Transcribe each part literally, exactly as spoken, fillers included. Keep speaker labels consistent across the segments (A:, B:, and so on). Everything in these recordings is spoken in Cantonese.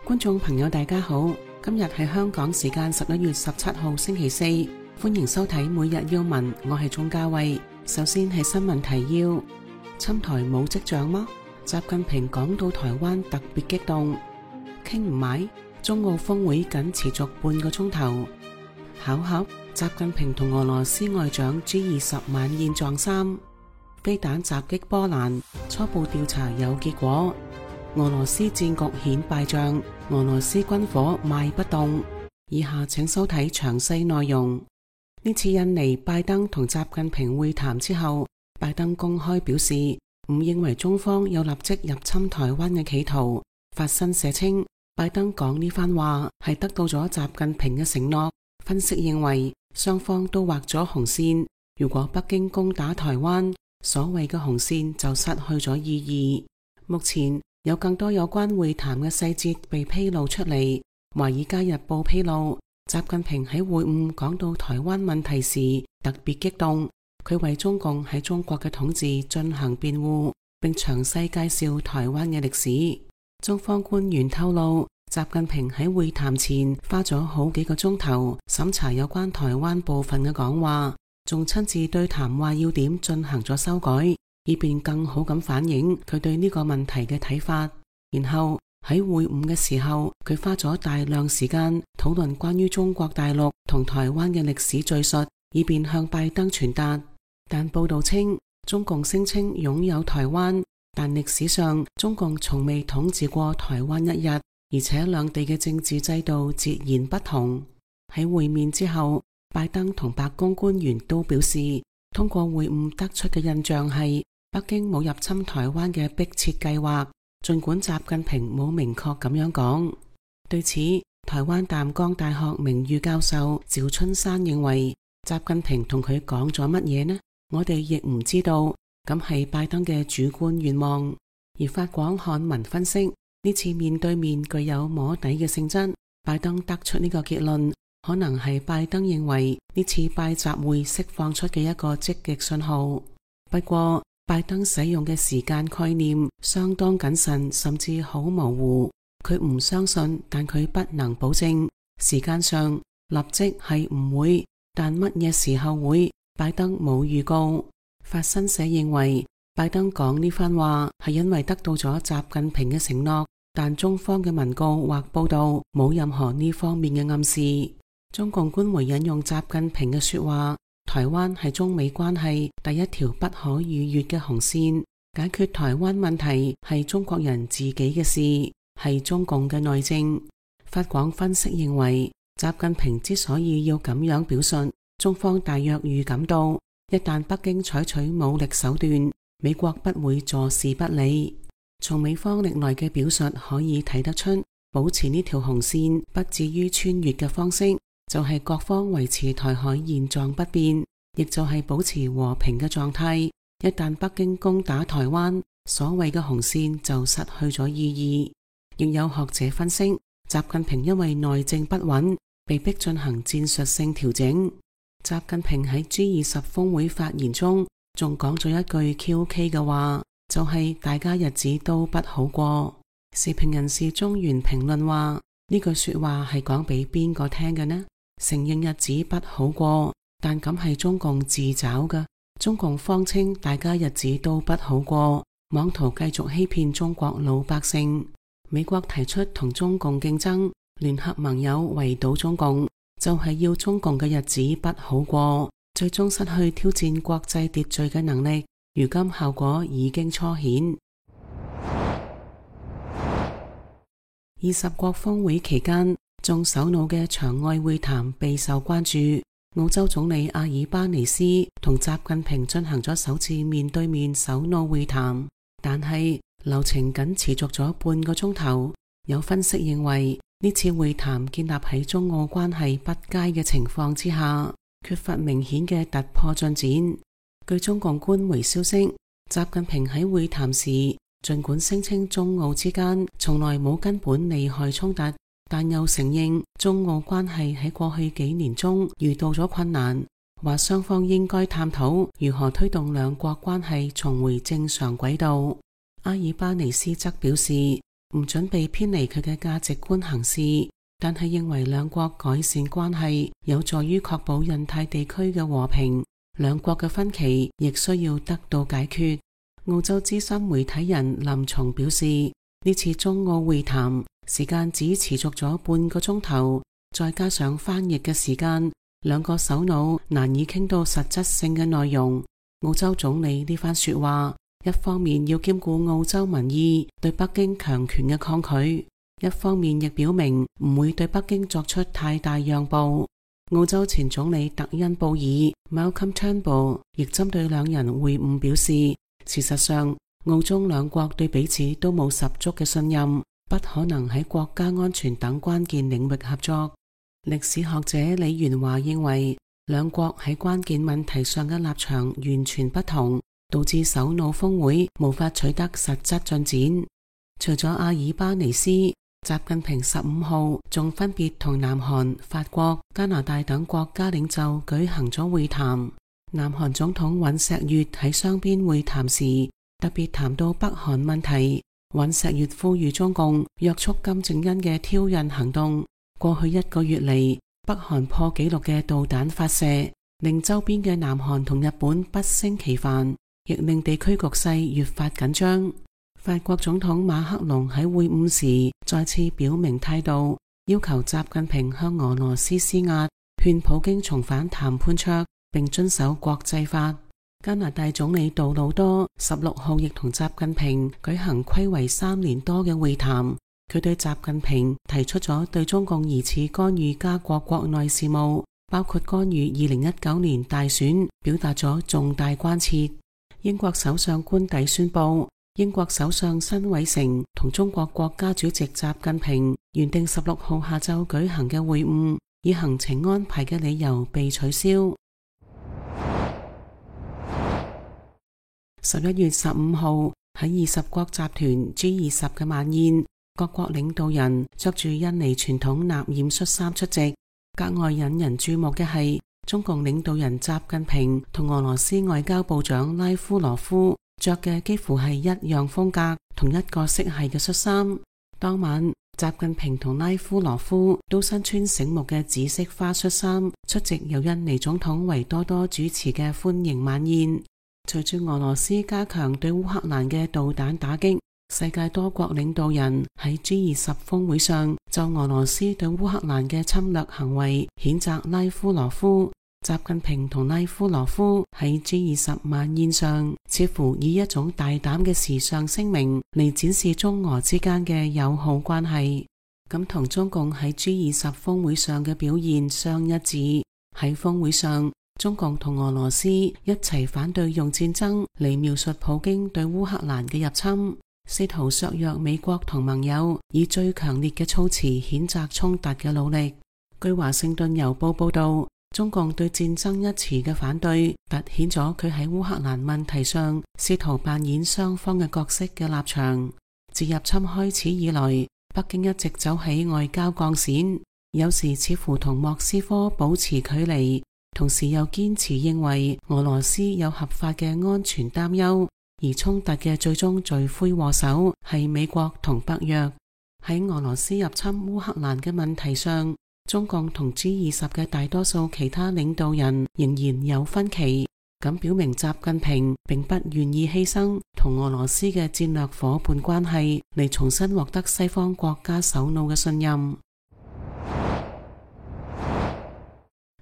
A: 觀眾朋友大家好，今日係香港時間十一月十七號星期四，歡迎收睇每日要聞，我係鍾嘉慧。首先係新聞提要：侵台冇跡象嗎？習近平講到台灣特別激動，傾唔埋，中澳峰會僅持續半個鐘頭。巧合，習近平同俄羅斯外長 G 二十晚宴撞衫。飛彈襲擊波蘭，初步調查有結果。俄羅斯戰局顯敗仗，俄羅斯軍火賣不動。以下請收睇詳細內容。呢次印尼拜登同習近平會談之後，拜登公開表示唔認為中方有立即入侵台灣嘅企圖。法新社稱，拜登講呢番話係得到咗習近平嘅承諾。分析認為，雙方都畫咗紅線，如果北京攻打台灣，所謂嘅紅線就失去咗意義。目前有更多有關會談嘅細節被披露出嚟。《華爾街日報》披露，習近平喺會晤講到台灣問題時特別激動，佢為中共喺中國嘅統治進行辯護，並詳細介紹台灣嘅歷史。中方官員透露，習近平喺會談前花咗好幾個鐘頭審查有關台灣部分嘅講話，仲親自對談話要點進行咗修改，以便更好咁反映佢對呢個問題嘅睇法。然後喺會晤嘅時候，佢花咗大量時間討論關於中國大陸同台灣嘅歷史敘述，以便向拜登傳達。但報道稱，中共聲稱擁有台灣，但歷史上中共從未統治過台灣一日，而且兩地嘅政治制度截然不同。喺會面之後，拜登同白宮官員都表示，通過會晤得出嘅印象係北京冇入侵台灣嘅迫切計劃，儘管習近平冇明確咁樣講。對此，台灣淡江大學名譽教授趙春山認為，習近平同佢講咗乜嘢呢？我哋亦唔知道，咁係拜登嘅主觀願望。而法廣漢文分析，呢次面對面具有摸底嘅性質，拜登得出呢個結論，可能係拜登認為呢次拜習會釋放出嘅一個積極信號。不過，拜登使用嘅時間概念相當謹慎，甚至好模糊。佢唔相信，但佢不能保證。時間上立即係唔會，但乜嘢時候會，拜登冇預告。法新社認為，拜登講呢番話係因為得到咗習近平嘅承諾，但中方嘅文告或報道冇任何呢方面嘅暗示。中共官媒引用習近平嘅說話，台灣係中美關係第一條不可逾越嘅紅線，解決台灣問題係中國人自己嘅事，係中共嘅內政。法廣分析認為，習近平之所以要咁樣表述，中方大約預感到，一旦北京採取武力手段，美國不會坐視不理。從美方歷來嘅表述可以睇得出，保持呢條紅線不至於穿越嘅方式，就係各方維持台海現狀不變，亦就係保持和平嘅狀態。一旦北京攻打台灣，所謂嘅紅線就失去咗意義。亦有學者分析，習近平因為內政不穩，被迫進行戰術性調整。習近平喺 G 二十峰會發言中，仲講咗一句 Q K 嘅話，就係、是、大家日子都不好過。時評人士中原評論話，呢句說話係講俾邊個聽嘅呢？承認日子不好過，但咁係中共自找嘅。中共方稱大家日子都不好過，妄圖繼續欺騙中國老百姓。美國提出同中共競爭，聯合盟友圍堵中共，就係、是、要中共嘅日子不好過，最終失去挑戰國際秩序嘅能力。如今效果已經初顯。二十國峰會期間，眾首腦嘅場外會談備受關注。澳洲總理阿爾巴尼斯同習近平進行咗首次面對面首腦會談，但係流程僅持續咗半個鐘頭。有分析認為，呢次會談建立喺中澳關係不佳嘅情況之下，缺乏明顯嘅突破進展。據中共官媒消息，習近平喺會談時盡管聲稱中澳之間從來冇根本利害衝突，但又承認中澳關係喺過去幾年中遇到咗困難，話雙方應該探討如何推動兩國關係重回正常軌道。阿爾巴尼斯則表示，唔準備偏離佢嘅價值觀行事，但係認為兩國改善關係有助於確保印太地區嘅和平，兩國嘅分歧亦需要得到解決。澳洲資深媒體人林松表示，呢次中澳會談時間只持續咗半個鐘頭，再加上翻譯嘅時間，兩個首腦難以傾到實質性嘅內容。澳洲總理呢番說話，一方面要兼顧澳洲民意對北京強權嘅抗拒，一方面亦表明唔會對北京作出太大讓步。澳洲前總理特恩布爾 Malcolm Turnbull 亦針對兩人會晤表示，事實上澳中兩國對彼此都冇十足嘅信任，不可能喺國家安全等關鍵領域合作。歷史學者李元華認為，兩國喺關鍵問題上嘅立場完全不同，導致首腦峰會無法取得實質進展。除咗阿爾巴尼斯，習近平十五號仲分別同南韓、法國、加拿大等國家領袖舉行咗會談。南韓總統尹錫悅喺雙邊會談時特別談到北韓問題，尹錫悅呼籲中共約束金正恩嘅挑釁行動。過去一個月嚟，北韓破紀錄嘅導彈發射，令周邊嘅南韓同日本不勝其煩，亦令地區局勢越發緊張。法國總統馬克龍喺會晤時再次表明態度，要求習近平向俄羅斯施壓，勸普京重返談判桌並遵守國際法。加拿大總理杜魯多十六號亦同習近平舉行暌違三年多嘅會談，佢對習近平提出咗對中共疑似干預加國國內事務，包括干預二零一九年大選，表達咗重大關切。英國首相官邸宣布，英國首相辛偉誠同中國國家主席習近平原定十六號下晝舉行嘅會晤，以行程安排嘅理由被取消。十一月十五號喺二十國集團 G 二十嘅晚宴，各國領導人着住印尼傳統納染恤衫出席。格外引人注目嘅係，中共領導人習近平同俄羅斯外交部長拉夫羅夫着嘅幾乎係一樣風格、同一個色系嘅恤衫。當晚，習近平同拉夫羅夫都身穿醒目嘅紫色花恤衫，出席由印尼總統維多多主持嘅歡迎晚宴。隨住俄羅斯加強對烏克蘭嘅導彈打擊，世界多國領導人喺 G 二十峰會上就俄羅斯對烏克蘭嘅侵略行為譴責拉夫羅夫。習近平同拉夫羅夫喺 G 二十晚宴上，似乎以一種大膽嘅時尚聲明嚟展示中俄之間嘅友好關係，咁同中共喺 G 二十峰會上嘅表現相一致。喺峰會上，中共同俄羅斯一齊反對用戰爭嚟描述普京對烏克蘭嘅入侵，試圖削弱美國同盟友以最強烈嘅措辭譴責衝突嘅努力。據華盛頓郵報報道，中共對戰爭一詞嘅反對，凸顯咗佢喺烏克蘭問題上試圖扮演雙方嘅角色嘅立場。自入侵開始以來，北京一直走喺外交鋼線，有時似乎同莫斯科保持距離，同時又堅持認為俄羅斯有合法嘅安全擔憂，而衝突嘅最終罪魁禍首係美國同北約。喺俄羅斯入侵烏克蘭嘅問題上，中共同 G 二十嘅大多數其他領導人仍然有分歧，咁表明習近平並不願意犧牲同俄羅斯嘅戰略夥伴關係嚟重新獲得西方國家首腦嘅信任。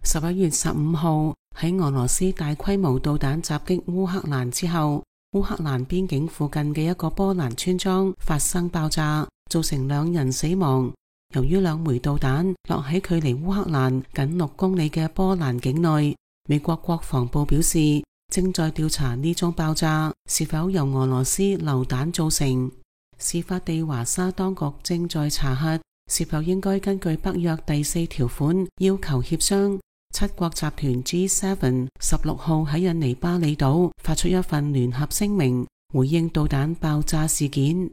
A: 十一月十五號喺俄羅斯大規模導彈襲擊烏克蘭之後，烏克蘭邊境附近嘅一個波蘭村莊發生爆炸，造成兩人死亡。由於兩枚導彈落喺距離烏克蘭僅六公里嘅波蘭境內，美國國防部表示正在調查呢宗爆炸是否由俄羅斯流彈造成。事發地華沙當局正在查核是否應該根據北約第四條款要求協商。七國集團 G 七 十六號喺印尼巴厘島發出一份聯合聲明，回應導彈爆炸事件。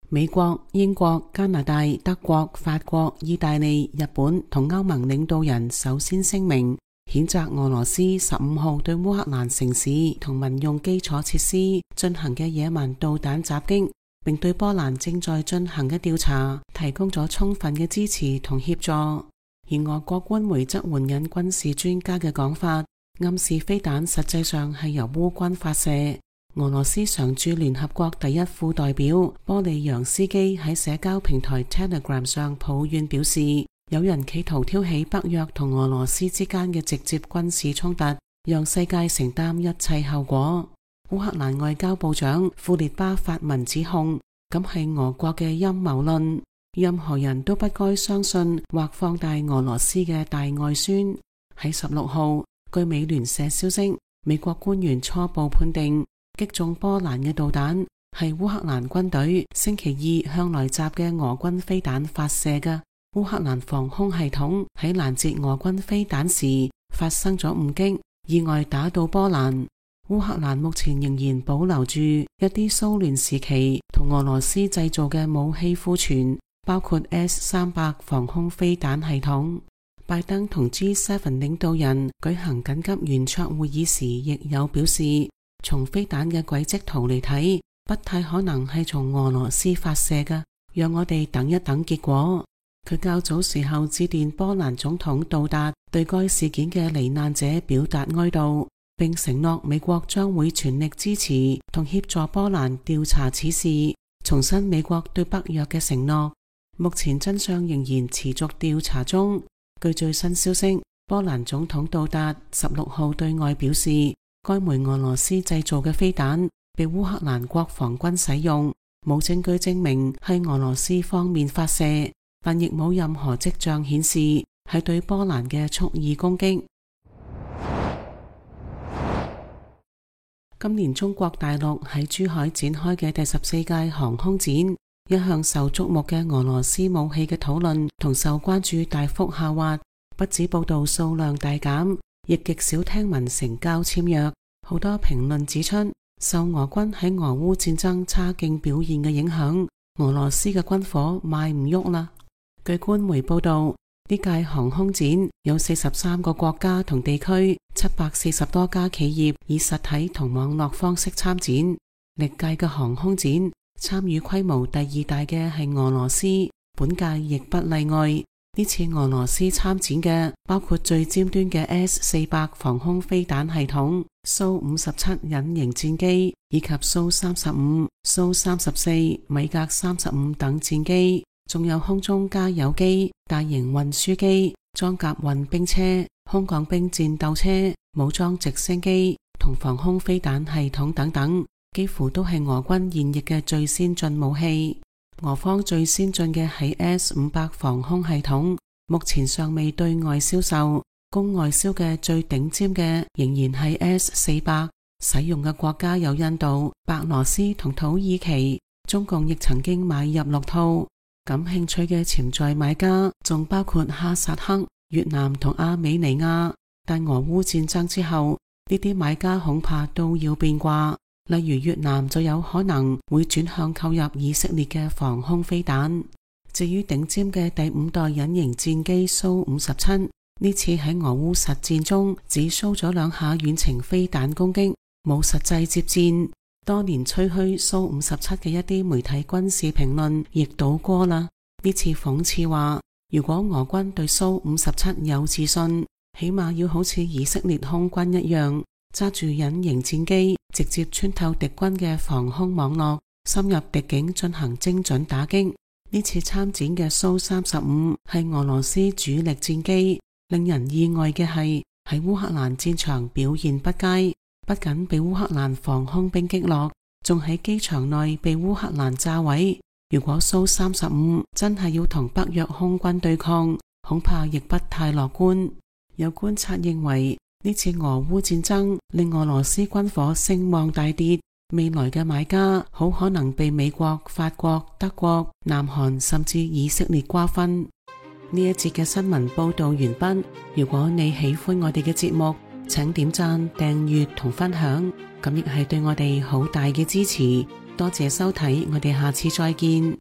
A: 美國、英國、加拿大、德國、法國、意大利、日本同歐盟領導人首先聲明，譴責俄羅斯十五號對烏克蘭城市同民用基礎設施進行嘅野蠻導彈襲擊，並對波蘭正在進行嘅調查提供咗充分嘅支持同協助。而俄國官媒則援引軍事專家嘅講法，暗示飛彈實際上係由烏軍發射。俄羅斯常駐聯合國第一副代表波利揚斯基喺社交平台 Telegram 上抱怨表示，有人企圖挑起北約同俄羅斯之間嘅直接軍事衝突，讓世界承擔一切後果。烏克蘭外交部長庫列巴發文指控，咁係俄國嘅陰謀論，任何人都不該相信或放大俄羅斯嘅大外宣。喺十六號，據美聯社消息，美國官員初步判定擊中波蘭嘅導彈係烏克蘭軍隊星期二向來襲嘅俄軍飛彈發射嘅。烏克蘭防空系統喺攔截俄軍飛彈時發生咗誤擊，意外打到波蘭。烏克蘭目前仍然保留住一啲蘇聯時期同俄羅斯製造嘅武器庫存，包括 S 三百 防空飛彈系統。拜登同 G 七 領導人舉行緊急圓桌會議時，亦有表示，從飛彈嘅軌跡圖嚟睇，不太可能係從俄羅斯發射嘅，讓我哋等一等結果。佢較早時候致電波蘭總統杜達，對該事件嘅罹難者表達哀悼，並承諾美國將會全力支持同協助波蘭調查此事，重申美國對北約嘅承諾。目前真相仍然持續調查中。據最新消息，波蘭總統杜達十六號對外表示，該枚俄羅斯製造嘅飛彈被烏克蘭國防軍使用，冇證據證明係俄羅斯方面發射，但亦冇任何跡象顯示係對波蘭嘅蓄意攻擊。今年中國大陸喺珠海展開嘅第十四屆航空展，一向受矚目嘅俄羅斯武器嘅討論同受關注大幅下滑，不止報道數量大減，亦極少聽聞成交簽約。好多評論指出，受俄軍喺俄烏戰爭差勁表現嘅影響，俄羅斯嘅軍火賣唔喐啦。據官媒報道，呢屆航空展有四十三個國家同地區，七百四十多家企業以實體同網絡方式參展。歷屆嘅航空展參與規模第二大嘅係俄羅斯，本屆亦不例外。呢次俄羅斯參展嘅包括最尖端嘅 S 四百 防空飛彈系統、蘇五十七隱形戰機以及蘇三十五、蘇三十四、米格三十五等戰機，仲有空中加油機、大型運輸機、裝甲運兵車、空降兵戰鬥車、武裝直升機同防空飛彈系統等等，幾乎都係俄軍現役嘅最先進武器。俄方最先進嘅係 S 五百 防空系統，目前尚未對外銷售，供外銷嘅最頂尖嘅仍然係 S 四百，使用嘅國家有印度、白羅斯同土耳其，中共亦曾經買入六套。感興趣嘅潛在買家仲包括哈薩克、越南同阿美尼亞，但俄烏戰爭之後，呢啲買家恐怕都要變卦。例如越南就有可能會轉向購入以色列嘅防空飛彈。至於頂尖嘅第五代隱形戰機蘇五十七，呢次喺俄烏實戰中只蘇咗兩下遠程飛彈攻擊，冇實際接戰。多年吹噓蘇五十七嘅一啲媒體軍事評論亦倒戈啦。呢次諷刺話，如果俄軍對蘇五十七有自信，起碼要好似以色列空軍一樣，揸住隱形戰機，直接穿透敵軍嘅防空網絡，深入敵境進行精準打擊。呢次參展嘅蘇三十五係俄羅斯主力戰機，令人意外嘅係喺烏克蘭戰場表現不佳，不僅被烏克蘭防空兵擊落，仲喺機場內被烏克蘭炸毀。如果蘇三十五真係要同北約空軍對抗，恐怕亦不太樂觀。有觀察認為，呢次俄烏戰爭令俄羅斯軍火聲望大跌，未來嘅買家好可能被美國、法國、德國、南韓甚至以色列瓜分。呢一節嘅新聞報道完畢。如果你喜歡我哋嘅節目，請點讚、訂閱同分享，咁亦係對我哋好大嘅支持。多謝收睇，我哋下次再見。